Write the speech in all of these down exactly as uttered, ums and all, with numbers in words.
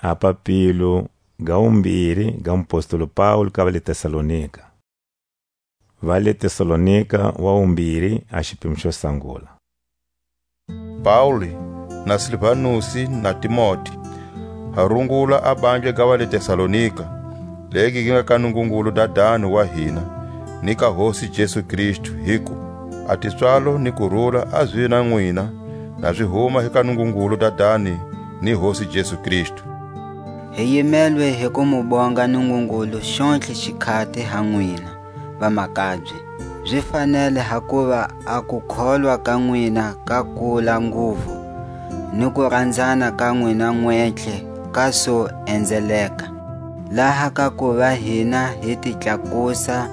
A papilo ga wumbiri ga mupostolo Paulu ka va le Tesalonika. Va le Tesalonika wa wumbiri, a xipimo xo sangula. Pauli, na Silvanusi, na Timoti, ha rungula a bandla ga va le Tesalonika, legi gi nga ka Nungungulu Dadani wa hina, ni ka Hosi Jesu Kristu, hiku: A tipswalo ni kurula a zi na nwina, na zi huma hi ka Nungungulu Dadani ni Hosi Jesu Kristu. Hi yimelwe hi ku mu bonga Nungungulu xontlhe xikhati ha nwina, vamakabye. Zi fanele, hakuva a kukholwa ka nwina ka kula nguvu, ni kuranzana ka nwina nwentlhe ka su enzeleka, laha ka kuva hina hi ti tlakusa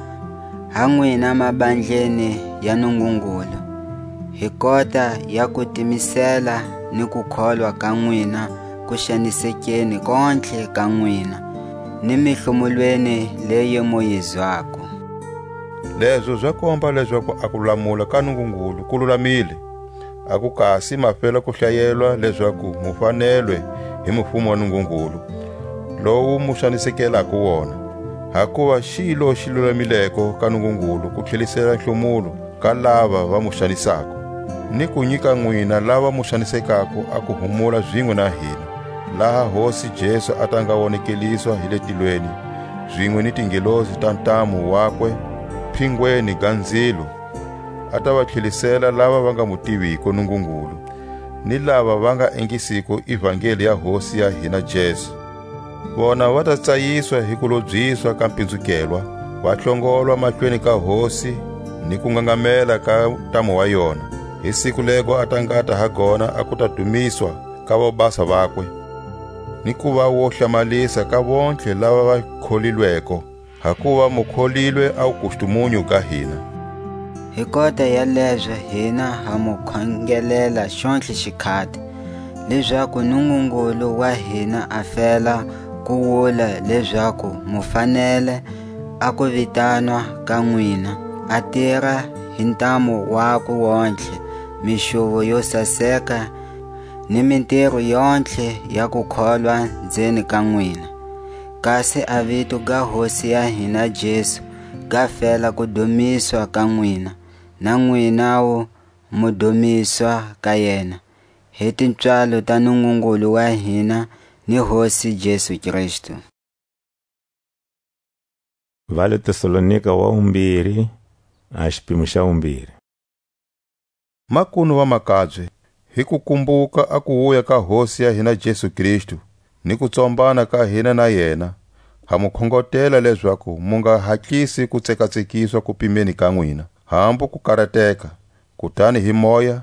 ha nwina mabandleni ya Nungungulu, hi kota ya kutimisela ni kukholwa ka nwina ku xanisekeni kontlhe ka nwina, ni mihlumulweni leyi mu yi zwako. Lezo za komba lezaku a kulamula ka Nungungulu ku lulamile, a ku kasi ma fela ku hlayelwa lezaku mu fanelwe hi mufumo wa Nungungulu, lowu mu xanisekelako wona. Hakuva xilo xi lulamileko ka Nungungulu ku tlhelisela nhlumulo ka lava va mu xanisako, ni ku nyika nwina lava mu xanisekako a kuhumula zinwe na hina, laha Hosi Jesu a ta nga wonekeliswa hi le tilweni, zinwe ni tingelosi ta ntamu wakwe, phingweni ga nzilo, a ta va tlhelisela lava va nga mu tiviko Nungungulu, ni lava va nga ingisiko ivangeli ya Hosi ya hina Jesu. Vona va ta tsayiswa hi kulobyiswa ka mpinzukelwa, va hlongolwa mahlweni ka Hosi ni kungangamela ka ntamu wa yona, hi siku lego a ta ngata ha gona a kuta dumiswa ka vobasa vakwe, ni kuva wo hlamalisa ka vontlhe lava va kholilweko, hakuva mu kholilwe a wukustumunyu ga hina. Hi kota ya lezo hina ha mu khongelela xontlhe xikhati, lezaku Nungungulu wa hina a fela ku wula lezaku mu fanele a ku vitanwa ka nwina, a tira hi ntamu wakwe wontlhe, mixuvo yo saseka, ni mintiro yontlhe ya kukholwa nzeni ka nwina. Kasi a vito ga Hosi ya hina Jesu ga fela ku dumiswa ka nwina, na nwinawu mu dumiswa ka yena, hi tipswalo ta Nungungulu wa hina ni Hosi Jesu Kristu. Va le Tesalonika wa wumbiri, a xipimo xa wumbiri. Makunu vamakabye, hi ku kumbuka a kuwuya ka Hosi ya hina Jesu Kristu, ni ku tsombana ka hina na yena, ha mu khongotela lezaku mu nga hatlisi ku tsekatsekiswa kupimeni ka nwina, hambu ku karateka, kutani hi moya,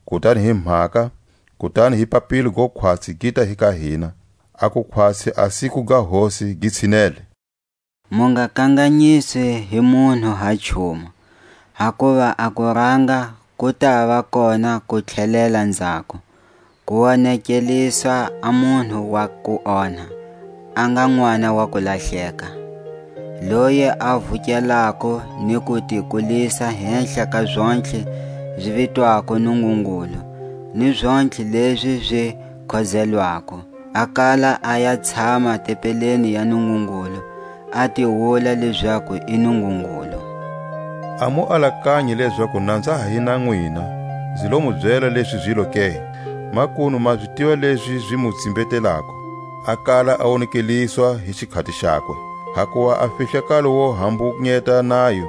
kutani hi mhaka, kutani hi papilo go khwatsi gi ta hi ka hina, a ku khwatsi a siku ga Hosi gi tshinele. Mu nga kanganyiswi hi munhu ha nchumu, hakuva a kuranga ku ta va kona ku tlhelela nzhaku, ku wonekeliswa a munhu wa ku onha, a nga n'wana wa ku lahleka, loyi a vukelako ni ku ti kulisa henhla ka zontlhe zi vitwako Nungungulu, ni zontlhe lezi zi khozelwako. A kala a ya tshama tempeleni ya Nungungulu, a ti wula lezaku i Nungungulu. A mu alakanyi lezaku na nza ha hi na nwina, nzi lo mu byela lezi zilo ke? Makunu ma zi tiva lezi zi mu tsimbetelako. A kala a wonekeliswa hi xikhati xakwe, hakuva a fihlakalo wo hambungeta nayo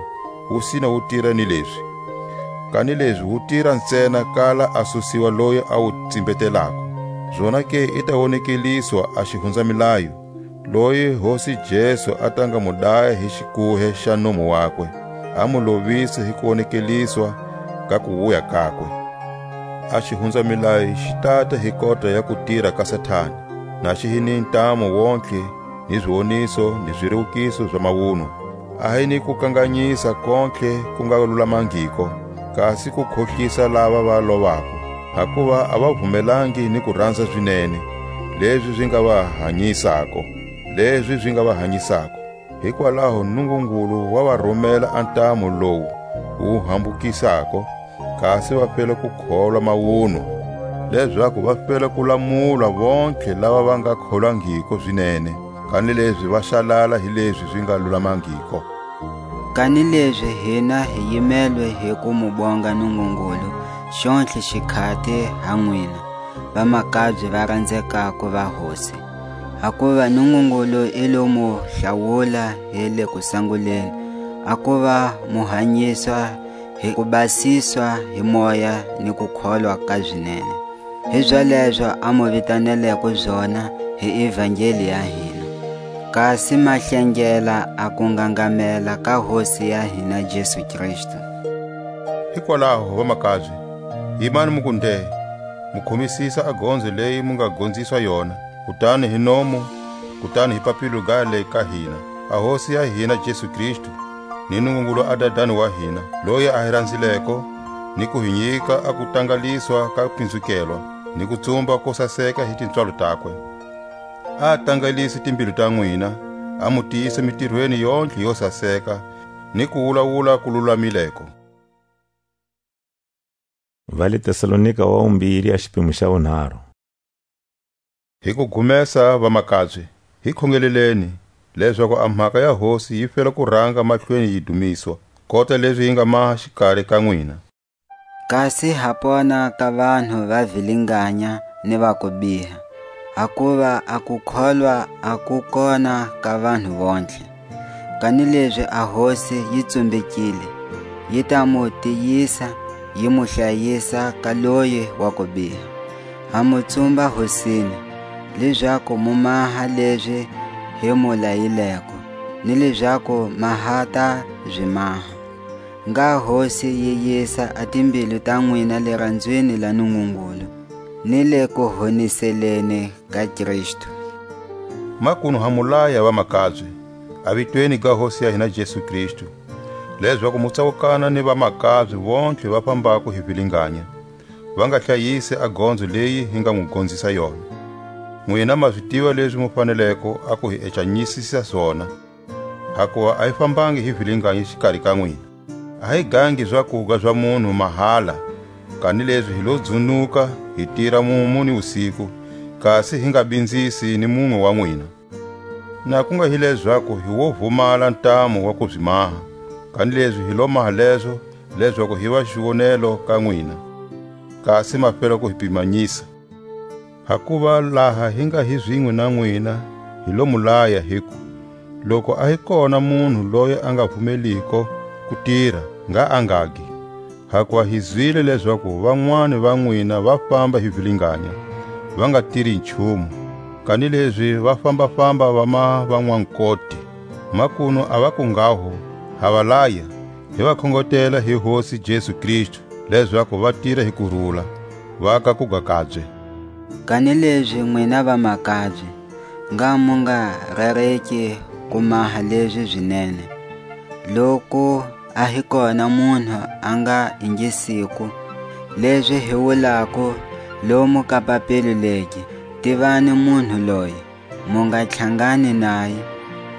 wu sina wu tira ni lezi. Kanilezi wu tira ntsena kala a susiwa loyi a wu tsimbetelako. Zonake i ta wonekeliswa a xihunzamilayo, loyi Hosi Jesu a ta nga mu daya hi xikuhe xa nomu wakwe, a mu lovisa hi kuwonekeliswa ka kuwuya kakwe. A xihunzamilayo xi tata hi kota ya kutira ka Satani, na xi hi ni ntamu wontlhe, ni ziwoniso, ni zirewukiso za mawunwa. A hi ni kukanganyisa kontlhe ku nga lulamangiko, kasi ku khohlisa lava va lovako, hakuva a va vumelangi ni kuranza zinene, lezi zi nga va hanyisako, lezi zi nga va hanyisako. Hikwalaho Nungungulu wa va rumela a ntamu lowu wu hambukisako, kasi va fela ku kholwa mawunwa. lezaku va fela ku lamula vontlhe lava va nga kholwangiko zinene, kanilezi va xalala hi lezi zi nga lulamangiko. Kanilezi hina hi yimelwe hi ku mu bonga Nungungulu xontlhe xikhati ha nwina, vamakabye va ranzekako va Hosi. Hakuva Nungungulu i lo mu hlawula hi le kusanguleni, a kuva mu hanyiswa hi ku basiswa hi Moya ni kukholwa ka zinene. Hizalezo a mu vitaneleko zona hi Evangeli ya hina, kasi ma hlengela a kungangamela ka Hosi ya hina Jesu Kristu. Hikwalaho, vamakabye, yimani mu ku nde, mu khomisisa a gonzo leyi mu nga gonziswa yona, kutani hi nomu, kutani hi papilo ga le ka hina. A Hosi ya hina Jesu Kristu, ni Nungungulu a Dadani wa hina, loyi a hi ranzileko, ni ku hi nyika a kutangaliswa ka pinzukelwa, ni kutsumba ko saseka hi tipswalo takwe. A tangalise timbilu ta nwina, a mu tiyisa mitirweni yontlhe yo saseka, ni kuwulawula ku lulamileko. Va le Tesalonika wa wumbiri, a xipimo xa wunharhu. Hi ku gumesa, vamakabye, hi khongeleleni, lezaku a mhaka ya Hosi yi fela ku ranga mahlweni yi dumiswa, kota lezi yi nga maha xikari ka nwina. Kasi ha pona ka vanhu va vilinganya ni va kubiha, hakuva a kukholwa a ku kona ka vanhu vontlhe. Kanilezi a Hosi yi tsumbekile, yi ta mu tiyisa, yi mu hlayisa ka loyi wa kubiha. Ha mu tsumba Hosini, lezaku mu maha lezi hi mu layileko, ni lezaku ma ha ta zi maha. Ngha Hosi yi yisa a timbilu ta nwina liranzweni la Nungungulu, ni le kuhoniseleni ka Kristu. Makunu ha mu laya, vamakabye, a vitweni ga Hosi ya hina Jesu Kristu, lezaku mu tsawukana ni vamakabye vontlhe va fambako hi vilinganya, va nga hlayisi a gonzo leyi hi nga mu gonzisa yona. Nwina ma zi tiva lezi mu faneleko a ku hi ecanyisisa zona, hakuva a hi fambangi hi vilinganya xikari ka nwina. A hi gangi zakuga za munhu mahala, kanilezi hi lo dzunuka, hi tira mumu ni wusiku, kasi hi nga binzisi ni munwe wa nwina. Na ku nga hi lezaku hi wo vumala ntamu wa ku zi maha, kanilezi hi lo maha lezo, lezaku hi va xiwonelo ka nwina, kasi ma fela ku hi pimanyisa. Hakuva laha hi nga hi zinwe na nwina, hi lo mu laya, hiku: Loku a hi kona munhu loyi a nga vumeliko ku tira, ngha a ngagi. Hakuva hi zwile lezaku vanwani va nwina va famba hi vilinganya, va nga tiri nchumu, kanilezi va famba-famba va ma vanwankoti. Makunu a va ku nghaho, ha va laya, hi va khongotela hi Hosi Jesu Kristu, lezaku va tira hi kurula, va ka kuga kabye. Kanilezi nwina vamakabye, ngha mu nga rereki ku maha lezi zinene. Loku a hi kona munhu a nga ingisiko lezi hi wulako lomu ka papilo legi, tivani munhu loyi, mu nga tlhangani naye,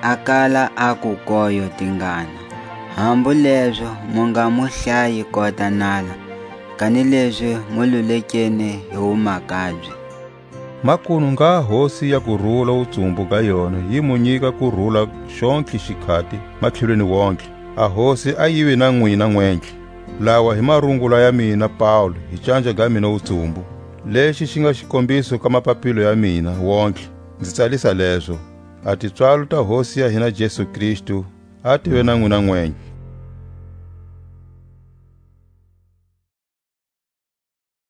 a kala a ku koyo tingana. Hambu lezo mu nga mu hlayi kota nala, kanilezi mu lulekeni hi wumakabye. Makunu ngha Hosi ya kurula wutsumbu ga yona yi mu nyika kurula xontlhe xikhati matlhelweni wontlhe. A Hosi a yive na nwina nwentlhe. Lawa hi marungula ya mina Paulu, hi canja ga mina wutsumbu. Lexi xi nga xikombiso ka mapapilo ya mina wontlhe, nzi tsalisa lezo. A tipswalo ta Hosi ya hina Jesu Kristu a tive na nwina nwentlhe.